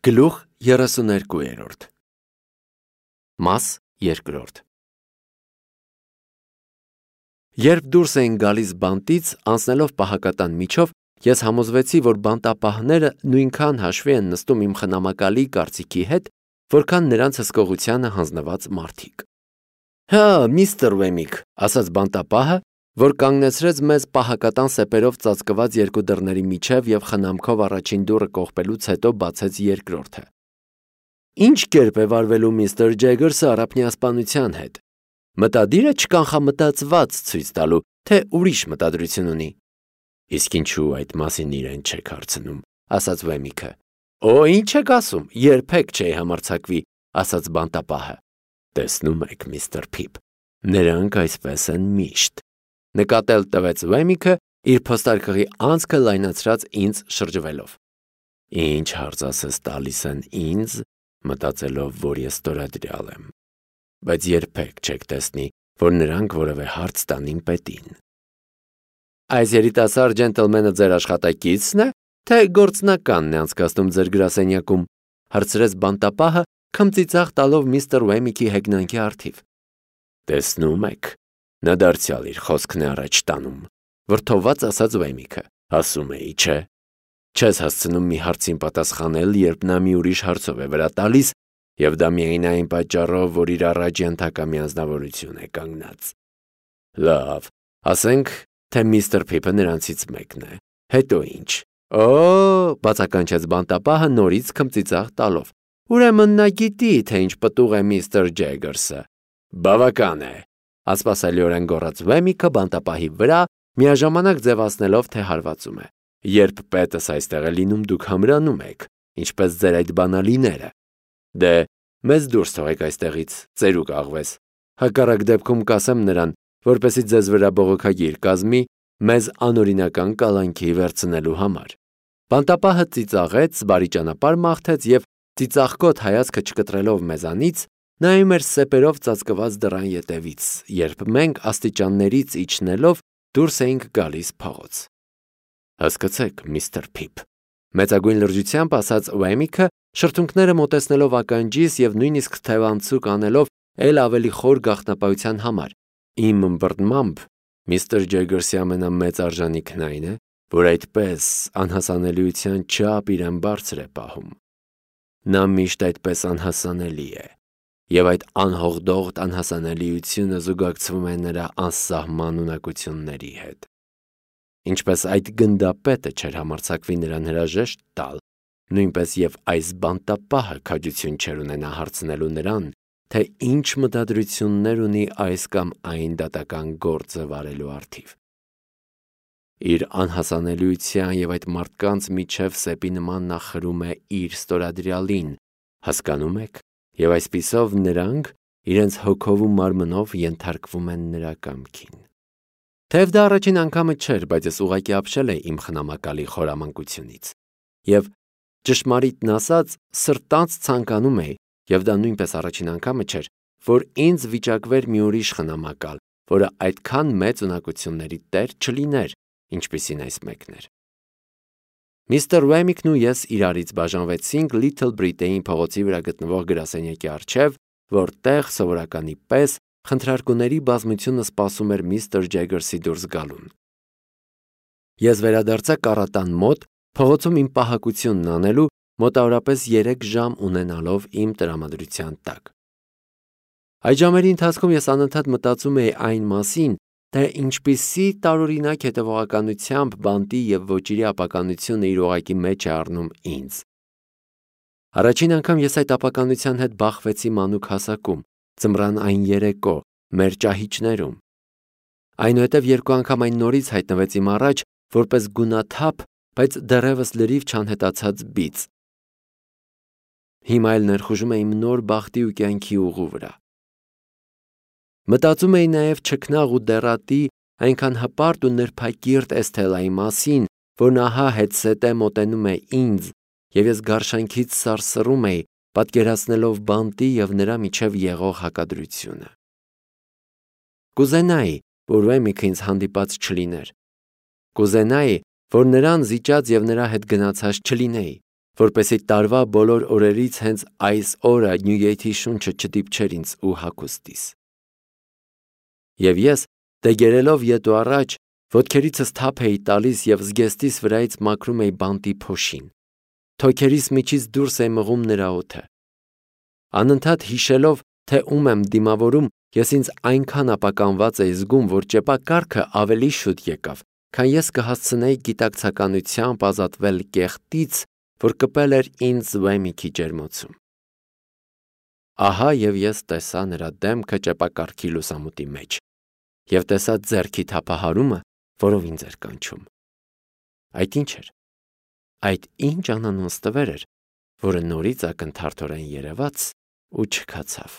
Գլուխ 32 Մաս 2 Երբ դուրս էին գալիս բանտից, անցնելով պահակատան միջով, ես համոզվեցի, որ բանտապահները նույնքան հաշվի են նստում իմ խնամակալի կարծիքի հետ, որքան նրանց հսկողությանը հանձնված մարդիկ։ Հա, միստր Վեմիկ, ասաց բանտապահը, որ կանգնեցրեց մեզ պահակատան սեպերով ծածկված երկու դռների միջև և խնամքով առաջին դուռը կողպելուց հետո բացեց երկրորդը։ Ինչ կերպ է վարվելու միստր Ջեգերսը առափնյասպանության հետ։ Մտադիր է չկանխամտածված ցույց տալու, թե ուրիշ մտադրություն ունի։ Իսկ ինչու այդ մասին իրեն չեք հարցնում, ասաց Վեմիկը։ Օ, ինչ եք ասում, երբեք չէի համարձակվի, ասաց բանտապահը։ Տեսնում եք, միստր Փիփ, նրանք այսպես են միշտ։ Նկատել տվեց Վեմիկը, իր փոստարկղի անցքը լայնացրած ինձ շրջվելով։ Ինչ հարցասես տալիս են ինձ, մտածելով, որ ես ստորադրյալ եմ։ Բայց երբեք չեք տեսնի, որ նրանք որևէ հարց տանին պետին։ Այս երիտասարդ ջենտլմենը ձեր աշխատակիցն է, թե գործնականն է անցկացնում ձեր գրասենյակում, հարցրեց բանտապահը, քմծիծաղ տալով միստր Վեմիկի հեգնանքի առթիվ։ Տեսնում եք, նա դարձյալ իր խոսքն է առաջ տանում, վրդովված ասաց Վեմիկը, ասում էի, չէ։ Չես հասցնում մի հարցին պատասխանել, երբ նա մի ուրիշ հարցով է վրա տալիս, և դա միայն այն պատճառով, որ իր առաջ ենթակա մի անձնավորություն է կանգնած։ Լավ, ասենք, թե միստր Փիփը նրանցից մեկն է։ Հետո ինչ։ Օ, բացականչեց բանտապահը նորից քմծիծաղ տալով։ Ուրեմն նա գիտի, թե ինչ պտուղ է միստր Ջեգերսը։ Բավական է, ասպասելիորեն գոռաց Վեմիկը բանտապահի վրա, միաժամանակ ձևացնելով, թե հարվածում է։ Երբ պետս այստեղ է լինում, դուք համրանում եք, ինչպես ձեր այդ բանալիները։ Դե, մեզ դուրս թողեք այստեղից, ծերուկ աղվես։ Հակառակ դեպքում կասեմ նրան, որպեսզի ձեզ վրա բողոքագիր կազմի, մեզ անօրինական կալանքի վերցնելու համար։ Բանտապահը ծիծաղեց, բարի ճանապարհ մաղթեց և ծիծաղկոտ հայացքը չկտրելով մեզանից, նայում էր սեպերով ծածկված դռան ետևից, երբ մենք աստիճաններից իջնելով դուրս էինք գալիս փողոց։ Հասկացեք, միստր Փիփ, մեծագույն լրջությամբ ասաց Վեմիկը, շրթունքները մոտեցնելով ականջիս և նույնիսկ թևանցուկ անելով էլ ավելի խոր գաղտնապահության համար։ Իմ ըմբռնմամբ, միստր Ջեգերսի ամենամեծ արժանիքն այն է, որ այդպես անհասանելիության չափ իրեն բարձր է պահում։ Նա միշտ այդպես անհասանելի է, և այդ անհողդողդ անհասանելիությունը զուգակցվում է նրա անսահման ունակությունների հետ։ Ինչպես այդ գնդապետը չէր համարձակվի նրան հրաժեշտ տալ, նույնպես և այս բանտապահը քաջություն չէր ունենա հարցնելու նրան, թե ինչ մտադրություններ ունի այս կամ այն դատական գործը վարելու առթիվ։ Իր անհասանելիության և այդ մարդկանց միջև սեպի նման նա խրում է իր ստորադրյալին, հասկանում եք, և այսպիսով նրանք իրենց հոգով ու մարմնով ենթարկվում են նրա կամքին։ Թեև դա առաջին անգամը չէր, բայց ես ուղղակի ապշել էի իմ խնամակալի խորամանկությունից։ Եվ ճշմարիտն ասած, սրտանց ցանկանում էի, և դա նույնպես առաջին անգամը չէր, որ ինձ վիճակվեր մի ուրիշ խնամակալ, որը այդքան մեծ ունակությունների տեր չլիներ, ինչպիսին այս մեկն էր։ Միստր Վեմիկն ու ես իրարից բաժանվեցինք Լիթլ Բրիտեյին փողոցի վրա գտնվող գրասենյակի առջև, որտեղ սովորականի պես խնդրարկուների բազմությունը սպասում էր միստր Ջեգերսի դուրս գալուն։ Ես վերադարձա կառատան մոտ, փողոցում իմ պահակությունն անելու, մոտավորապես 3 ժամ ունենալով իմ տրամադրության տակ։ Այդ ժամերի ընթացքում ես անընդհատ մտածում էի այն մասին, թե ինչպիսի տարօրինակ հետևողականությամբ բանտի և ոճիրի ապականությունը իր օղակի մեջ է առնում ինձ։ Առաջին անգամ ես այդ ապականության հետ բախվեցի մանուկ հասակում, ձմռան այն երեկո, մեր ճահիճներում։ Այնուհետև 2 անգամ այն նորից հայտնվեց իմ առաջ, որպես գունաթափ, բայց դեռևս լրիվ չանհետացած բիծ։ Հիմա էլ ներխուժում էի իմ նոր բախտի ու կյանքի ուղու վրա։ Մտածում էի նաև չքնաղ ու դեռատի, այնքան հպարտ ու նրբակիրթ Էսթելայի մասին, որն ահա հետզհետե մոտենում է ինձ, և ես գարշանքից սարսռում էի, պատկերացնելով բանտի և նրա միջև եղող հակադրությունը։ Կուզենայի, որ Վեմիկը ինձ հանդիպած չլիներ։ Կուզենայի, որ նրան զիջած և նրա հետ գնացած չլինեի, որպեսզի տարվա բոլոր օրերից հենց այս օրը Նյուգեյթի շունչը չդիպչեր ինձ ու հագուստիս։ Եվ ես, դեգերելով ետ ու առաջ, ոտքերիցս թափ էի տալիս և զգեստիս վրայից մաքրում էի բանտի փոշին, թոքերիս միջից դուրս էի մղում նրա օդը։ Անընդհատ հիշելով, թե ում եմ դիմավորում, ես ինձ այնքան ապականված էի զգում, որ ճեպակառքը ավելի շուտ եկավ, քան ես կհասցնեի գիտակցականությամբ ազատվել կեղտից, որ կպել էր ինձ Վեմիքի ջերմոցում։ Ահա և ես տեսա նրա դեմքը ճեպակառքի լուսամուտի մեջ և տեսա ձեռքի թափահարումը, որով ինձ էր կանչում։ Այդ ի՞նչ էր։ Այդ ինչ անանուն ստվեր էր, որը նորից ակնթարթորեն երևաց ու չքացավ։